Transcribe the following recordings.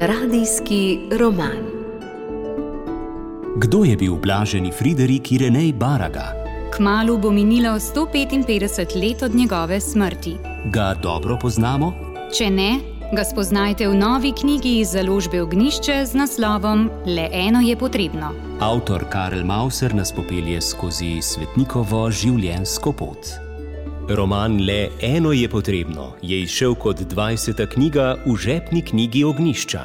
Radijski roman. Kdo je bil blaženi Friderik Irenej Baraga? Kmalu bo minilo 155 let od njegove smrti. Ga dobro poznamo? Če ne, ga spoznajte v novi knjigi iz založbe Ognjišče z naslovom Le eno je potrebno. Avtor Karel Mauser nas popelje skozi svetnikovo življenjsko pot. Roman Le eno je potrebno je izšel kot 20. knjiga v žepni knjigi Ognjišča.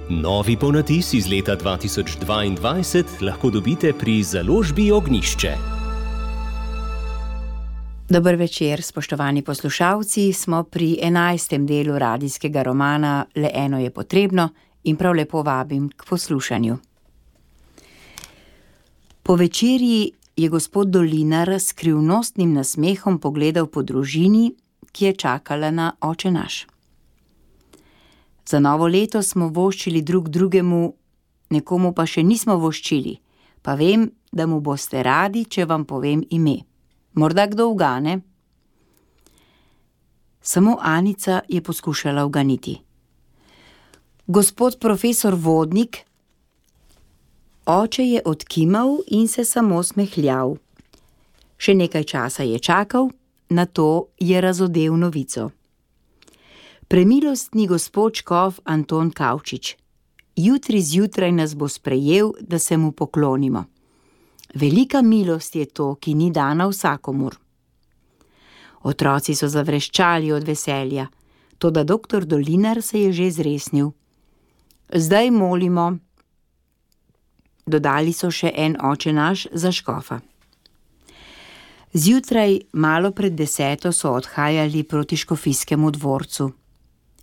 Novi ponatis iz leta 2022 lahko dobite pri založbi Ognjišče. Dober večer, spoštovani poslušalci, smo pri 11. delu radijskega romana Le eno je potrebno in prav lepo vabim k poslušanju. Po večerji je gospod Dolinar s skrivnostnim nasmehom pogledal po družini, ki je čakala na oče naš. Za novo leto smo voščili drug drugemu, nekomu pa še nismo voščili, pa vem, da mu boste radi, če vam povem ime. Morda kdo ugane? Samo Anica je poskušala uganiti. Gospod profesor Vodnik. Oče je odkimal in se samo smehljal. Še nekaj časa je čakal, nato je razodel novico. Premilostni gospod škof Anton Kavčič, jutri zjutraj nas bo sprejel, da se mu poklonimo. Velika milost je to, ki ni dana vsakomur. Otroci so zavreščali od veselja, toda doktor Dolinar se je že zresnil. Zdaj molimo. Dodali so še en oče naš za škofa. Zjutraj, malo pred 10, so odhajali proti škofijskemu dvorcu.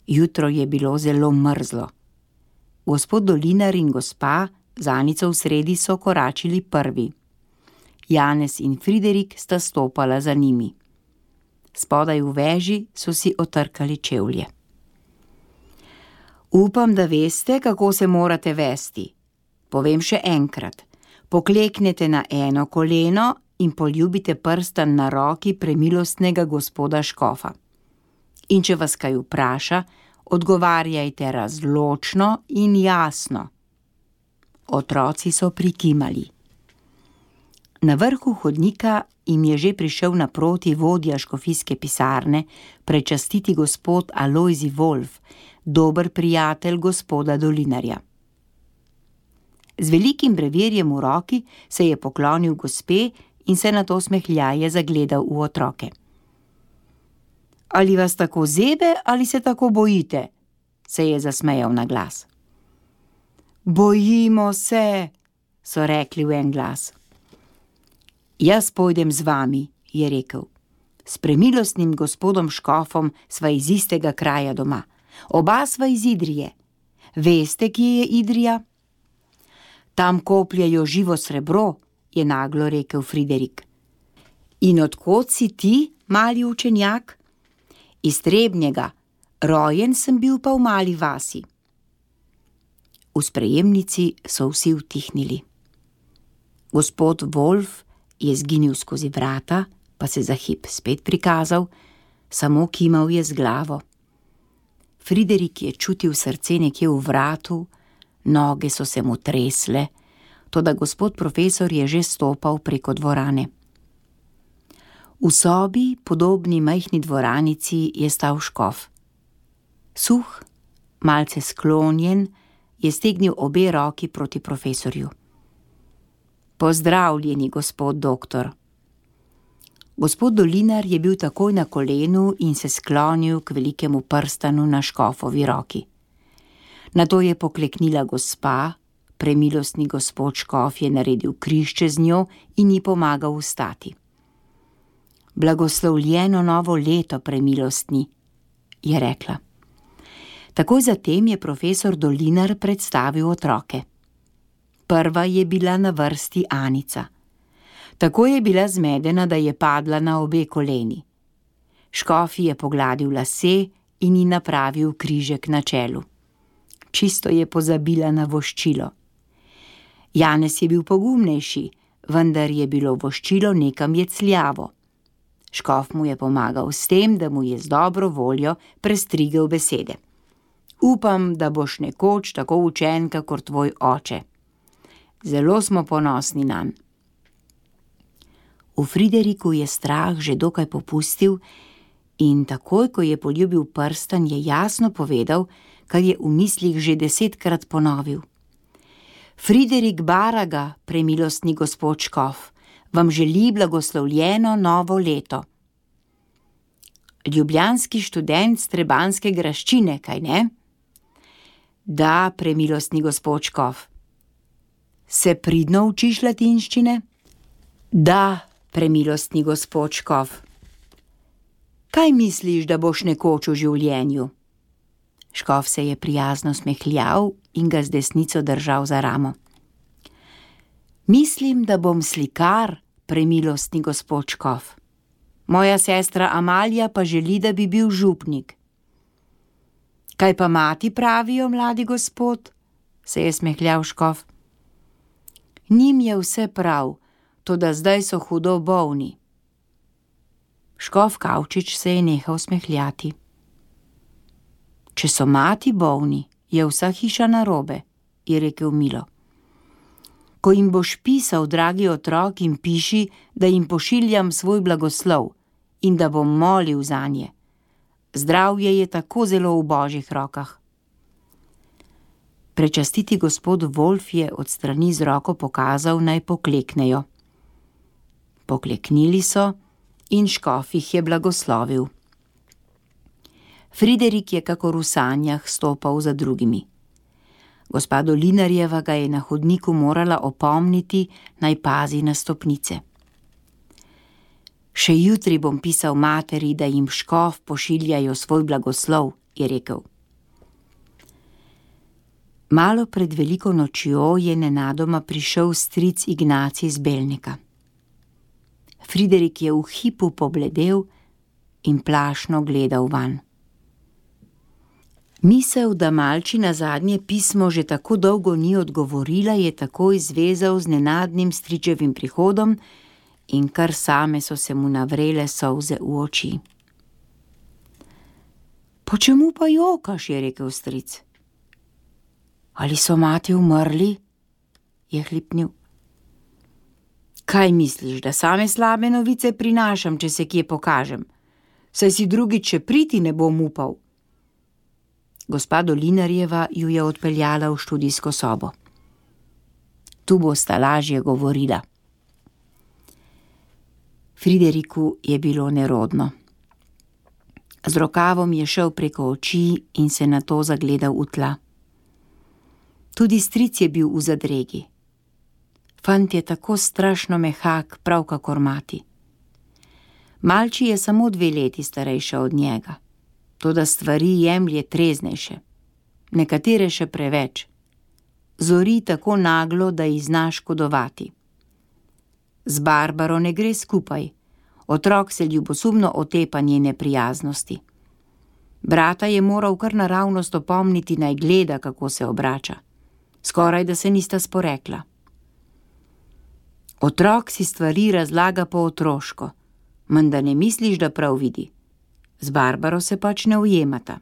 Jutro je bilo zelo mrzlo. Gospod Dolinar in gospa z Anico v sredi so koračili prvi. Janez in Friderik sta stopala za njimi. Spodaj v veži so si otrkali čevlje. Upam, da veste, kako se morate vesti. Povem še enkrat. Pokleknete na eno koleno in poljubite prstan na roki premilostnega gospoda škofa. In če vas kaj vpraša, odgovarjajte razločno in jasno. Otroci so prikimali. Na vrhu hodnika jim je že prišel naproti vodja škofijske pisarne prečastiti gospod Alojzij Wolf, dober prijatelj gospoda Dolinarja. Z velikim brevirjem v roki se je poklonil gospe in se nato smehljaje zagledal v otroke. Ali vas tako zebe ali se tako bojite? Se je zasmejal na glas. Bojimo se, so rekli v en glas. Jaz pojdem z vami, je rekel. S premilostnim gospodom škofom sva iz istega kraja doma. Oba sva iz Idrije. Veste, kje je Idrija? Tam kopljejo živo srebro, je naglo rekel Friderik. In od kod si ti, mali učenjak? Iz Trebnjega. Rojen sem bil pa v mali vasi. V sprejemnici so vsi utihnili. Gospod Wolf je zginil skozi vrata, pa se za hip spet prikazal, samo kimal je z glavo. Friderik je čutil srce nekje v vratu, noge so se mu tresle, toda gospod profesor je že stopal preko dvorane. V sobi, podobni majhni dvoranici, je stal škof. Suh, malce sklonjen, je stegnil obe roki proti profesorju. Pozdravljeni, gospod doktor. Gospod Dolinar je bil takoj na kolenu in se sklonil k velikemu prstanu na škofovi roki. Nato je pokleknila gospa, premilostni gospod škof je naredil križ čez njo in ji pomagal vstati. Blagoslovljeno novo leto, premilostni, je rekla. Takoj zatem je profesor Dolinar predstavil otroke. Prva je bila na vrsti Anica. Tako je bila zmedena, da je padla na obe koleni. Škof je pogladil lase in ji napravil križek na čelu. Čisto je pozabila na voščilo. Janez je bil pogumnejši, vendar je bilo voščilo nekam jecljavo. Škof mu je pomagal s tem, da mu je z dobro voljo prestrigel besede. Upam, da boš nekoč tako učen, kakor tvoj oče. Zelo smo ponosni nanj. V Frideriku je strah že dokaj popustil in takoj, ko je poljubil prstan, je jasno povedal, kar je v mislih že 10-krat ponovil. Friderik Baraga, premilostni gospod škof, vam želi blagoslovljeno novo leto. Ljubljanski študent s trebanske graščine, kaj ne? Da, premilostni gospod škof. Se pridno učiš latinščine? Da, premilostni gospod škof. Kaj misliš, da boš nekoč v življenju? Škof se je prijazno smehljal in ga z desnico držal za ramo. Mislim, da bom slikar, premilostni gospod škof. Moja sestra Amalija pa želi, da bi bil župnik. Kaj pa mati pravijo, mladi gospod? Se je smehljal škof. Njim je vse prav, toda zdaj so hudo bolni. Škof Kavčič se je nehal smehljati. Če so mati bolni, je vsa hiša narobe, je rekel milo. Ko jim boš pisal, dragi otrok, jim piši, da jim pošiljam svoj blagoslov in da bom molil zanje. Zdravje je tako zelo v božjih rokah. Prečastiti gospod Wolf je od strani z roko pokazal, naj pokleknejo. Pokleknili so in škof jih je blagoslovil. Friderik je kakor v sanjah stopal za drugimi. Gospa Dolinarjeva ga je na hodniku morala opomniti, naj pazi na stopnice. Še jutri bom pisal materi, da jim škof pošiljajo svoj blagoslov, je rekel. Malo pred veliko nočjo je nenadoma prišel stric Ignacij iz Belnika. Friderik je v hipu pobledel in plašno gledal vanj. Misel, da malči na zadnje pismo že tako dolgo ni odgovorila, je takoj zvezal z nenadnim stričevim prihodom in kar same so se mu navrele solze v oči. Počemu pa jokaš, je rekel stric. Ali so mati umrli? Je hlipnil. Kaj misliš, da same slabe novice prinašam, če se kje pokažem? Saj si drugič še priti ne bom upal. Gospa Dolinarjeva ju je odpeljala v študijsko sobo. Tu bosta lažje govorila. Frideriku je bilo nerodno. Z rokavom je šel preko oči in se nato zagledal v tla. Tudi stric je bil v zadregi. Fant je tako strašno mehak, prav kakor mati. Malči je samo 2 leti starejša od njega. Toda stvari jemlje treznejše, nekatere še preveč. Zori tako naglo, da ji zna škodovati. Z Barbaro ne gre skupaj, otrok se ljubosumno otepa njene prijaznosti. Brata je moral kar naravnost opomniti, naj gleda, kako se obrača. Skoraj da se nista sporekla. Otrok si stvari razlaga po otroško, menda ne misliš, da prav vidi. Z Barbaro se pač ne ujemata.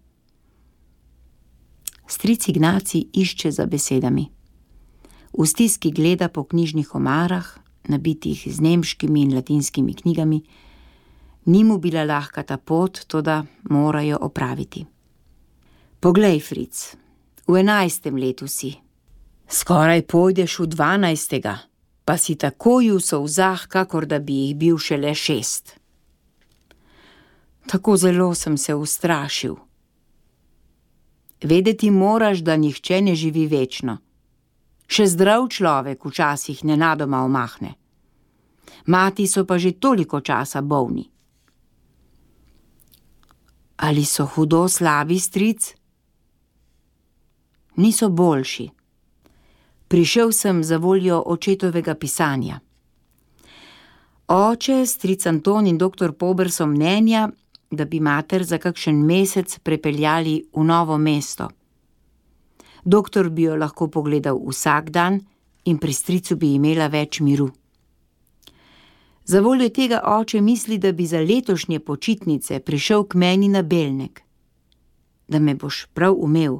Stric Ignacij išče za besedami. V stiski gleda po knjižnih omarah, nabitih z nemškimi in latinskimi knjigami. Ni mu bila lahka ta pot, toda morajo opraviti. Poglej, Fric, v 11. letu si. Skoraj pojdeš v 12. pa si takoj v solzah, kakor da bi jih bil šele 6. Tako zelo sem se ustrašil. Vedeti moraš, da nihče ne živi večno. Še zdrav človek včasih nenadoma omahne. Mati so pa že toliko časa bolni. Ali so hudo slabi, stric? Niso boljši. Prišel sem za voljo očetovega pisanja. Oče, stric Anton in doktor Pober so mnenja, da bi mater za kakšen mesec prepeljali v Novo mesto. Doktor bi jo lahko pogledal vsak dan in pri stricu bi imela več miru. Za voljo tega oče misli, da bi za letošnje počitnice prišel k meni na Belnek. da me boš prav umel.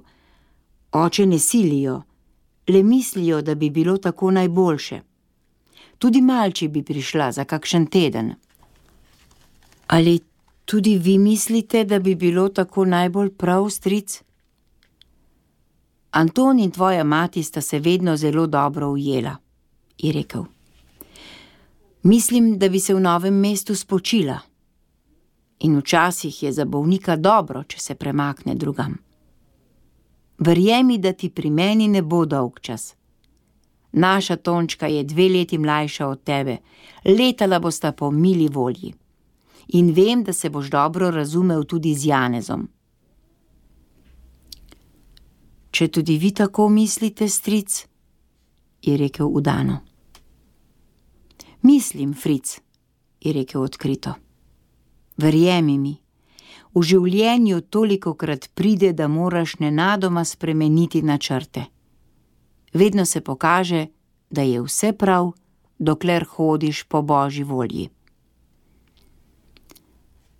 Oče ne silijo, le mislijo, da bi bilo tako najboljše. Tudi malči bi prišla za kakšen teden. Ali tudi vi mislite, da bi bilo tako najbolj prav, stric? Anton in tvoja mati sta se vedno zelo dobro ujela, je rekel. Mislim, da bi se v novem mestu spočila. In včasih je za bolnika dobro, če se premakne drugam. Verjemi, da ti pri meni ne bo dolg čas. Naša Tončka je 2 leti mlajša od tebe, letala bosta po mili volji. In vem, da se boš dobro razumel tudi z Janezom. Če tudi vi tako mislite, stric, je rekel udano. Mislim, Fric, je rekel odkrito. Verjemi mi, v življenju tolikokrat pride, da moraš nenadoma spremeniti načrte. Vedno se pokaže, da je vse prav, dokler hodiš po Božji volji.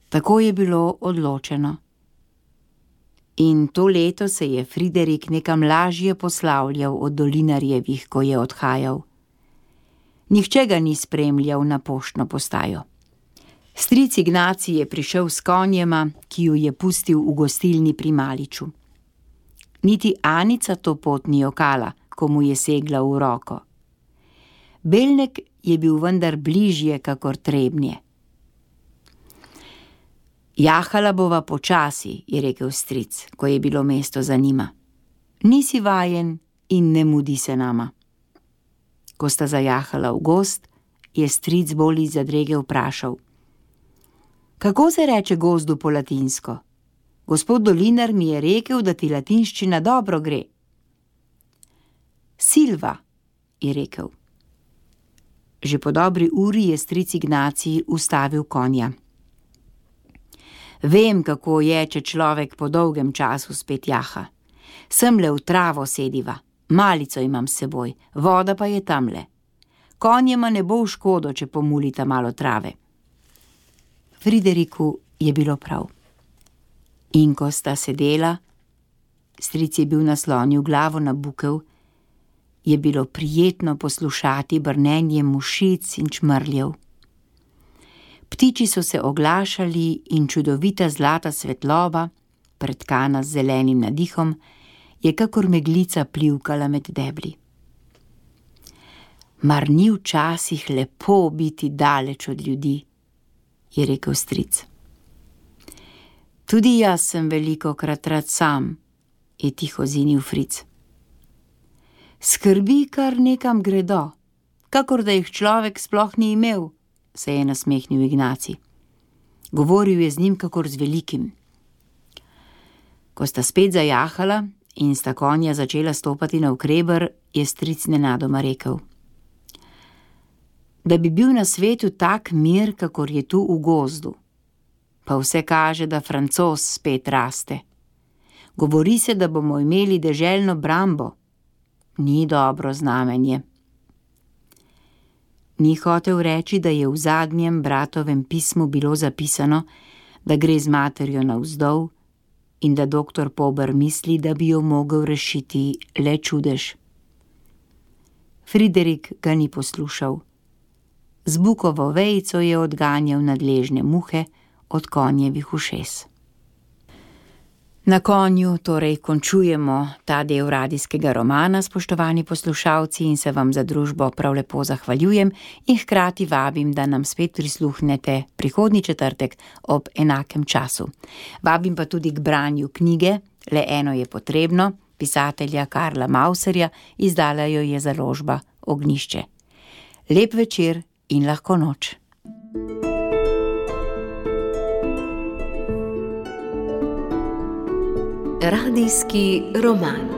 Tako je bilo odločeno. In to leto se je Friderik nekam lažje poslavljal od Dolinarjevih, ko je odhajal. Nihče ga ni spremljal na poštno postajo. Stric Ignacij je prišel s konjema, ki ju je pustil v gostilni pri Maliču. Niti Anica to pot ni jokala, ko mu je segla v roko. Belnek je bil vendar bližje kakor Trebnje. Jahala bova počasi, je rekel stric, ko je bilo mesto za njima. Nisi vajen in ne mudi se nama. Ko sta zajahala v gozd, je stric bolj iz zadrege vprašal. Kako se reče gozdu po latinsko? Gospod Dolinar mi je rekel, da ti latinščina dobro gre. Silva, je rekel. Že po dobri uri je stric Ignacij ustavil konja. Vem, kako je, če človek po dolgem času spet jaha. Semle v travo sediva, malico imam s seboj, voda pa je tamle. Konjema ne bo v škodo, če pomulita malo trave. Frideriku je bilo prav. In ko sta sedela, stric je bil naslonil glavo na bukev, je bilo prijetno poslušati brnenje mušic in čmrljev. Ptiči so se oglašali in čudovita zlata svetloba, pretkana z zelenim nadihom, je kakor meglica plivkala med debli. Mar ni včasih lepo biti daleč od ljudi, je rekel stric. Tudi jaz sem velikokrat rad sam, je tiho zinil Fric. Skrbi kar nekam gredo, kakor da jih človek sploh ni imel, se je nasmehnil Ignacij. Govoril je z njim kakor z velikim. Ko sta spet zajahala in sta konja začela stopati navkreber, je stric nenadoma rekel. Da bi bil na svetu tak mir, kakor je tu v gozdu. Pa vse kaže, da Francoz spet raste. Govori se, da bomo imeli deželno brambo. Ni dobro znamenje. Ni hotel reči, da je v zadnjem bratovem pismu bilo zapisano, da gre z materjo navzdol in da doktor Pober misli, da bi jo mogel rešiti le čudež. Friderik ga ni poslušal. Z bukovo vejico je odganjal nadležne muhe od konjevih ušes. Na konju torej končujemo ta del radijskega romana, spoštovani poslušalci, in se vam za družbo prav lepo zahvaljujem in hkrati vabim, da nam spet prisluhnete prihodnji četrtek ob enakem času. Vabim pa tudi k branju knjige Le eno je potrebno, pisatelja Karla Mauserja, izdala jo je založba Ognjišče. Lep večer in lahko noč. Radijski roman.